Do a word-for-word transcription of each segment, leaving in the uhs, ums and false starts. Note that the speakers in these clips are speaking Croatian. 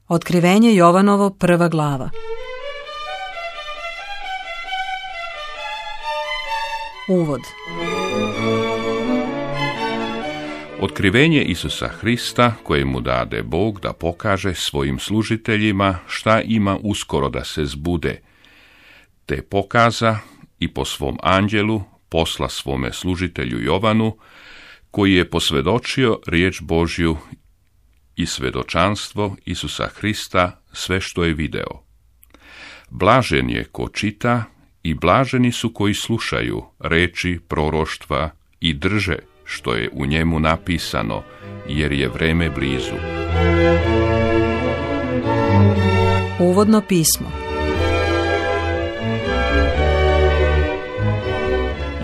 Otkrivenje Jovanovo, prva glava. Uvod. Otkrivenje Isusa Hrista koje mu dade Bog da pokaže svojim služiteljima šta ima uskoro da se zbude, te pokaza i po svom anđelu posla svome služitelju Jovanu, koji je posvjedočio riječ Božju i svjedočanstvo Isusa Hrista sve što je video. Blažen je ko čita i blaženi su koji slušaju reči proroštva i drže što je u njemu napisano, jer je vreme blizu. Uvodno pismo.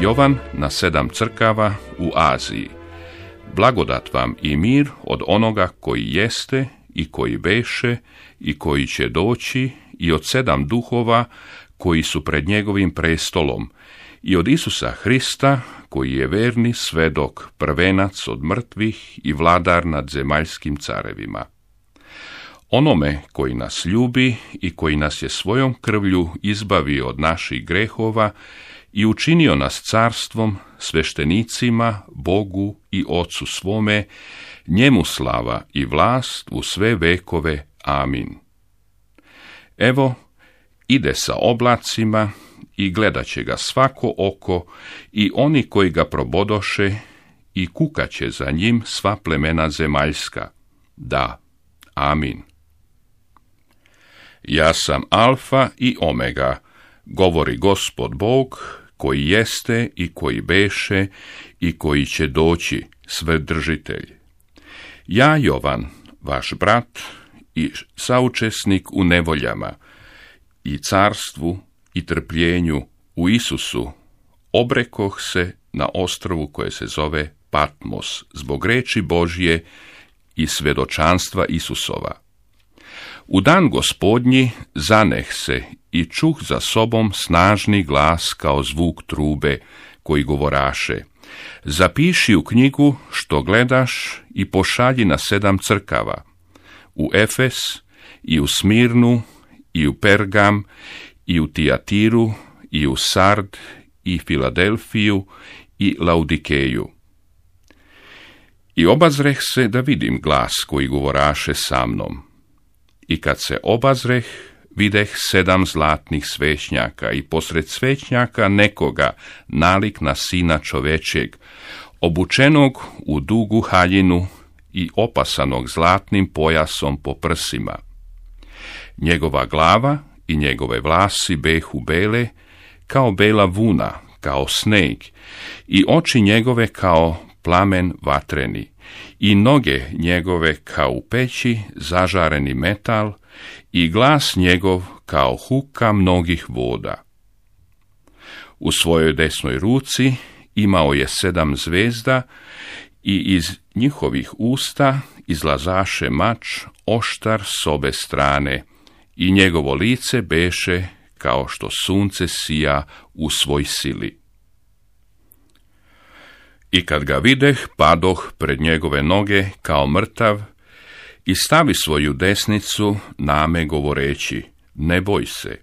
Jovan na sedam crkava u Aziji. Blagodat vam i mir od onoga koji jeste i koji beše i koji će doći i od sedam duhova koji su pred njegovim prestolom i od Isusa Hrista koji je verni svedok, prvenac od mrtvih i vladar nad zemaljskim carevima. Onome koji nas ljubi i koji nas je svojom krvlju izbavio od naših grehova i učinio nas carstvom, sveštenicima, Bogu i Ocu svome, njemu slava i vlast u sve vekove. Amin. Evo, ide sa oblacima i gledat će ga svako oko i oni koji ga probodoše i kukaće za njim sva plemena zemaljska. Da, amin. Ja sam Alfa i Omega, govori Gospod Bog, koji jeste i koji beše i koji će doći, Svedržitelj. Ja, Jovan, vaš brat i saučesnik u nevoljama i carstvu i trpljenju u Isusu, obrekoh se na ostrvu koje se zove Patmos, zbog reči Božje i svjedočanstva Isusova. U dan Gospodnji zaneh se i čuh za sobom snažni glas kao zvuk trube, koji govoraše: zapiši u knjigu što gledaš i pošalji na sedam crkava, u Efes i u Smirnu i u Pergam i u Tijatiru i u Sard i Filadelfiju i Laudikeju. I obazreh se da vidim glas koji govoraše sa mnom. I kad se obazreh, videh sedam zlatnih svećnjaka i posred svećnjaka nekoga nalik na sina čovečeg, obučenog u dugu haljinu i opasanog zlatnim pojasom po prsima. Njegova glava i njegove vlasi behu bele, kao bela vuna, kao sneg, i oči njegove kao plamen vatreni, i noge njegove kao u peći zažareni metal, i glas njegov kao huka mnogih voda. U svojoj desnoj ruci imao je sedam zvezda i iz njihovih usta izlazaše mač oštar s obe strane, i njegovo lice beše kao što sunce sija u svoj sili. I kad ga videh, padoh pred njegove noge kao mrtav i stavi svoju desnicu name govoreći: ne boj se,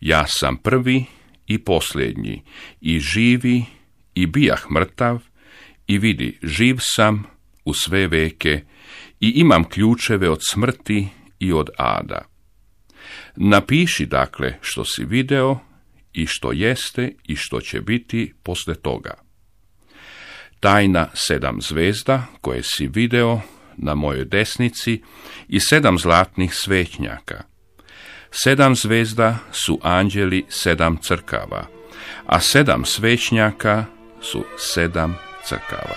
ja sam prvi i posljednji, i živi i bijah mrtav, i vidi, živ sam u sve veke i imam ključeve od smrti i od ada. Napiši dakle što si video i što jeste i što će biti posle toga. Tajna sedam zvezda koje si video na mojoj desnici i sedam zlatnih svećnjaka. Sedam zvezda su anđeli sedam crkava, a sedam svećnjaka su sedam crkava.